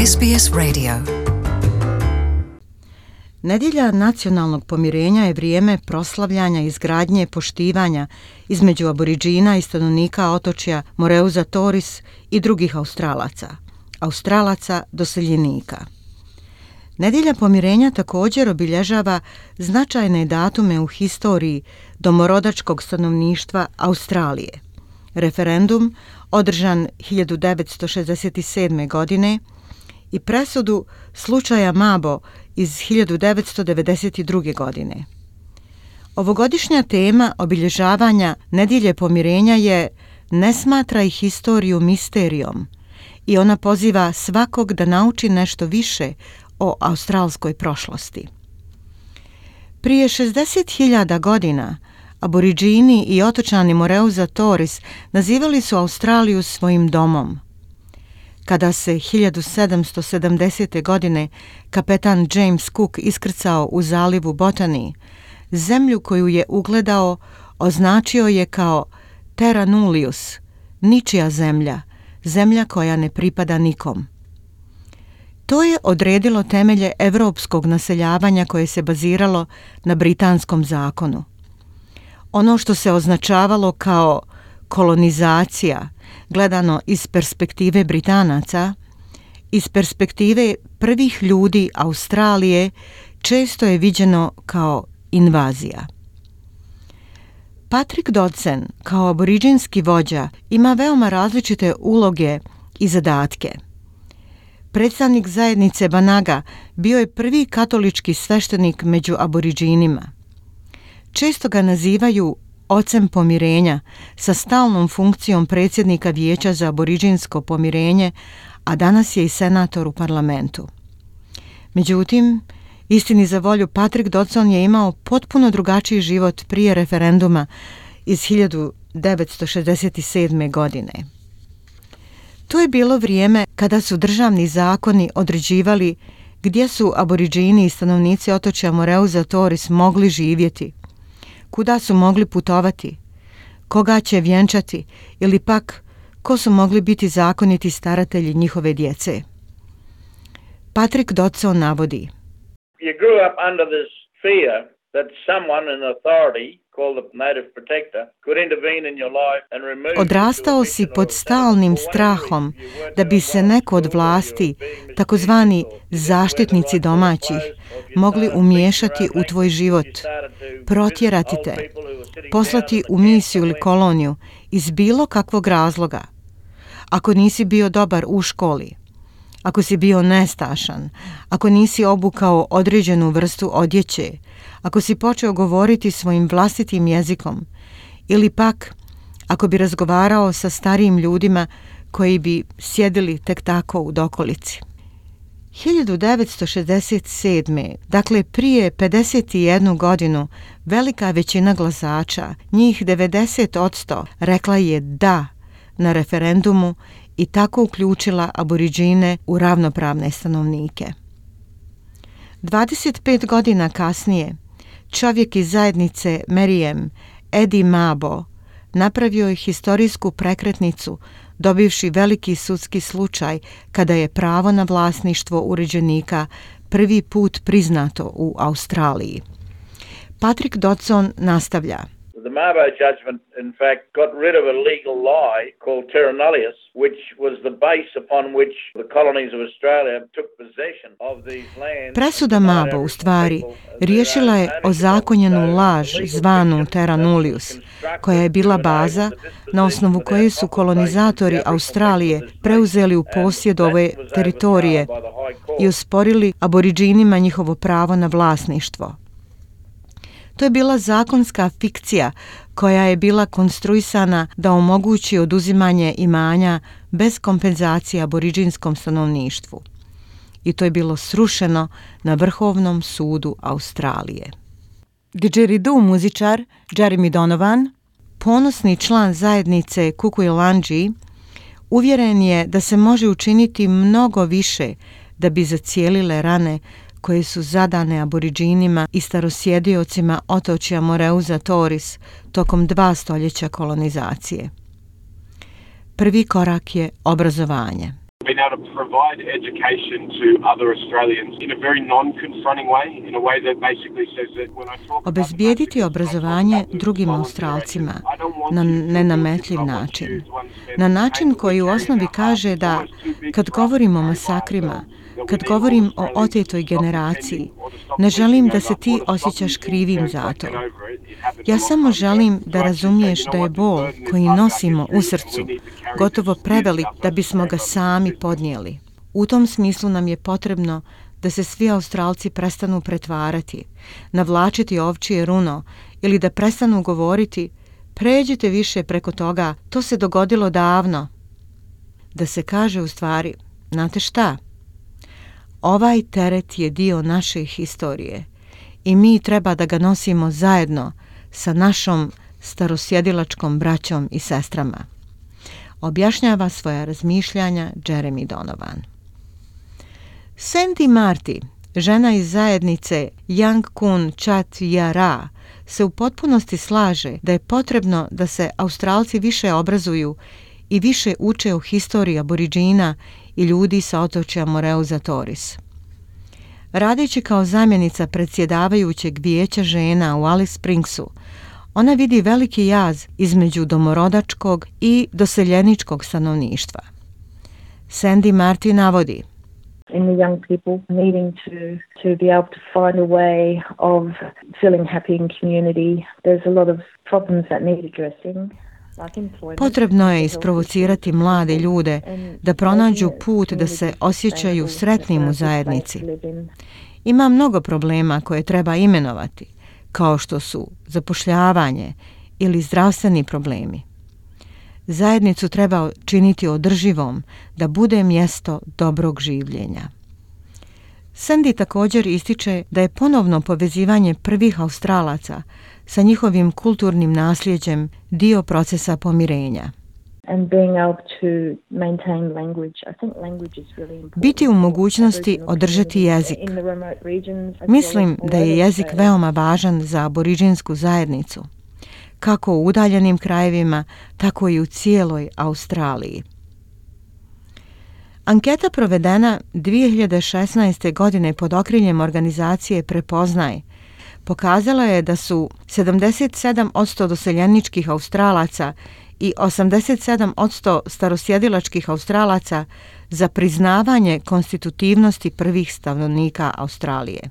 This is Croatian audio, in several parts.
SBS Radio. Nedjelja nacionalnog pomirenja je vrijeme proslavljanja izgradnje poštivanja između Aboriđina i stanovnika otočja Moreuza Torres i drugih Australaca doseljenika. Nedjelja pomirenja također obilježava značajne datume u historiji domorodačkog stanovništva Australije. Referendum održan 1967. godine i presudu slučaja Mabo iz 1992. godine. Ovogodišnja tema obilježavanja Nedjelje pomirenja je "Ne smatraj historiju misterijom" i ona poziva svakog da nauči nešto više o australskoj prošlosti. Prije 60.000 godina Aboriđini i otočani Moreuza Torres nazivali su Australiju svojim domom. Kada se 1770. godine kapetan James Cook iskrcao u zalivu Botany, zemlju koju je ugledao označio je kao Terra Nullius, ničija zemlja, zemlja koja ne pripada nikom. To je odredilo temelje evropskog naseljavanja koje se baziralo na britanskom zakonu. Ono što se označavalo kao kolonizacija, gledano iz perspektive Britanaca, iz perspektive prvih ljudi Australije, često je viđeno kao invazija. Patrick Dodson, kao aboriđinski vođa, ima veoma različite uloge i zadatke. Predstavnik zajednice Banaga bio je prvi katolički sveštenik među aboriđinima. Često ga nazivaju ocem pomirenja sa stalnom funkcijom predsjednika Vijeća za aboriđinsko pomirenje, a danas je i senator u parlamentu. Međutim, istini za volju, Patrick Dodson je imao potpuno drugačiji život prije referenduma iz 1967. godine. To je bilo vrijeme kada su državni zakoni određivali gdje su aboriđini i stanovnici otočja Moreuza Torres mogli živjeti, kuda su mogli putovati, koga će vjenčati ili pak ko su mogli biti zakoniti staratelji njihove djece. Patrick Dodson navodi: You grew up under this fear that someone in authority called the native protector could intervene in your life and remove you. Odrastao si pod stalnim strahom da bi se neko od vlasti, takozvani zaštitnici domaćih, mogli umiješati u tvoj život, protjerati te, poslati u misiju ili koloniju iz bilo kakvog razloga. Ako nisi bio dobar u školi, ako si bio nestašan, ako nisi obukao određenu vrstu odjeće, ako si počeo govoriti svojim vlastitim jezikom ili pak ako bi razgovarao sa starijim ljudima koji bi sjedili tek tako u dokolici. 1967. dakle prije 51 godinu, velika većina glasača, njih 90%, rekla je da na referendumu i tako uključila aboriđine u ravnopravne stanovnike. 25 godina kasnije, čovjek iz zajednice Meriem, Eddie Mabo, napravio je historijsku prekretnicu dobivši veliki sudski slučaj kada je pravo na vlasništvo uređenika prvi put priznato u Australiji. Patrick Dodson nastavlja: The Mabo judgment, in fact, got rid of a legal lie called terra nullius, which was the base upon which the colonies of Australia took possession of these lands. Presuda Mabo u stvari riješila je ozakonjenu laž zvanu terra nullius, koja je bila baza na osnovu koje su kolonizatori Australije preuzeli u posjed ove teritorije i osporili aboriđinima njihovo pravo na vlasništvo. To je bila zakonska fikcija koja je bila konstruisana da omogući oduzimanje imanja bez kompenzacije aboriđinskom stanovništvu. I to je bilo srušeno na Vrhovnom sudu Australije. Didgeridoo muzičar Jeremy Donovan, ponosni član zajednice Kukuilanji, uvjeren je da se može učiniti mnogo više da bi zacijelile rane koje su zadane aboriđinima i starosjediocima otočja Moreuza Torres tokom 2 stoljeća kolonizacije. Prvi korak je obrazovanje. Being able to provide education to other Australians in a very non-confronting way, in a way that basically says that when I talk about Obezbijediti obrazovanje drugim Australcima na nenametljiv način. Na način koji u osnovi kaže da kad govorim o masakrima, kad govorim o otetoj generaciji, ne želim da se ti osjećaš krivim za to. Ja samo želim da razumiješ da je bol koji nosimo u srcu gotovo prevelik da bismo ga sami podnijeli. U tom smislu nam je potrebno da se svi Australci prestanu pretvarati, navlačiti ovčije runo ili da prestanu govoriti pređite više preko toga, to se dogodilo davno. Da se kaže u stvari, znate šta? Ovaj teret je dio naše historije i mi treba da ga nosimo zajedno sa našom starosjedilačkom braćom i sestrama. Objašnjava svoja razmišljanja Jeremy Donovan. Sandy Marty, žena iz zajednice Yangkun Chat Yara, se u potpunosti slaže da je potrebno da se Australci više obrazuju i više uče o historiji aboriđina i ljudi sa otočja Moreuza Torres. Radeći kao zamjenica predsjedavajućeg vijeća žena u Alice Springsu, ona vidi veliki jaz između domorodačkog i doseljeničkog stanovništva. Sandy Marty navodi: in the young people needing to be able to find a way of feeling happy in community. There's a lot of problems that need addressing. Potrebno je isprovocirati mlade ljude da pronađu put da se osjećaju sretnim u zajednici. Ima mnogo problema koje treba imenovati, kao što su zapošljavanje ili zdravstveni problemi. Zajednicu treba činiti održivom da bude mjesto dobrog življenja. Sandy također ističe da je ponovno povezivanje prvih Australaca sa njihovim kulturnim nasljeđem dio procesa pomirenja. Biti u mogućnosti održati jezik. Mislim da je jezik veoma važan za aboriđinsku zajednicu, kako u udaljenim krajevima, tako i u cijeloj Australiji. Anketa provedena 2016. godine pod okriljem organizacije Prepoznaj pokazala je da su 77% doseljeničkih Australaca i 87% starosjedilačkih Australaca za priznavanje konstitutivnosti prvih stanovnika Australije.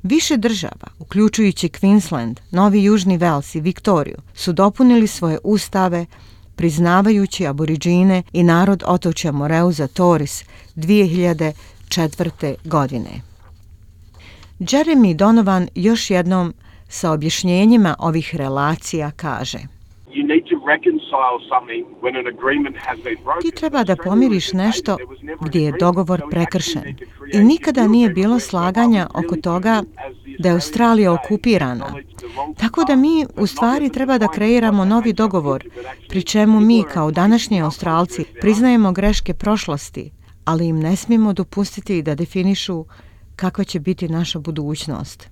Više država, uključujući Queensland, Novi Južni Vels i Viktoriju, su dopunili svoje ustave priznavajući aboriđine i narod otočja Moreuza Torres 2004. godine. Jeremy Donovan još jednom sa objašnjenjima ovih relacija kaže: ti treba da pomiriš nešto gdje je dogovor prekršen i nikada nije bilo slaganja oko toga da je Australija okupirana. Tako da mi u stvari treba da kreiramo novi dogovor, pri čemu mi kao današnji Australci priznajemo greške prošlosti, ali im ne smijemo dopustiti da definišu kakva će biti naša budućnost.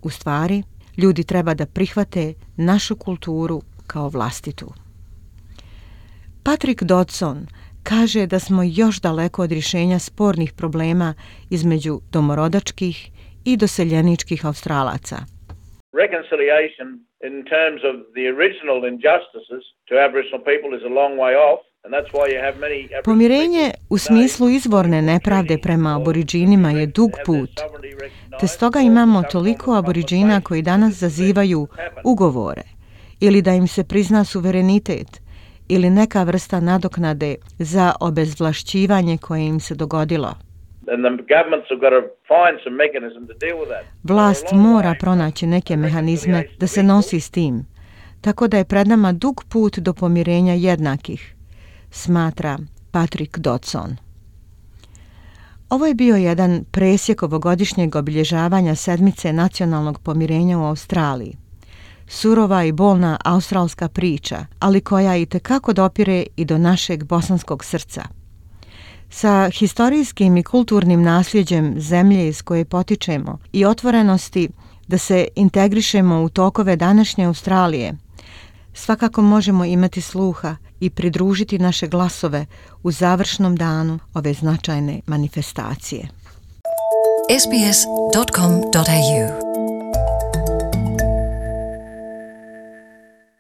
U stvari, ljudi treba da prihvate našu kulturu kao vlastitu. Patrick Dodson kaže da smo još daleko od rješenja spornih problema između domorodačkih i doseljeničkih Australaca. Reconciliation in terms of the original injustices to Aboriginal people is a long way off. Pomirenje u smislu izvorne nepravde prema aboriđinima je dug put, te stoga imamo toliko aboriđina koji danas zazivaju ugovore ili da im se prizna suverenitet ili neka vrsta nadoknade za obezvlašćivanje koje im se dogodilo. Vlast mora pronaći neke mehanizme da se nosi s tim, tako da je pred nama dug put do pomirenja jednakih, smatra Patrick Dodson. Ovo je bio jedan presjek ovogodišnjeg obilježavanja sedmice nacionalnog pomirenja u Australiji. Surova i bolna australska priča, ali koja itekako dopire i do našeg bosanskog srca. Sa historijskim i kulturnim nasljeđem zemlje iz koje potičemo i otvorenosti da se integrišemo u tokove današnje Australije, svakako možemo imati sluha i pridružiti naše glasove u završnom danu ove značajne manifestacije. sbs.com.au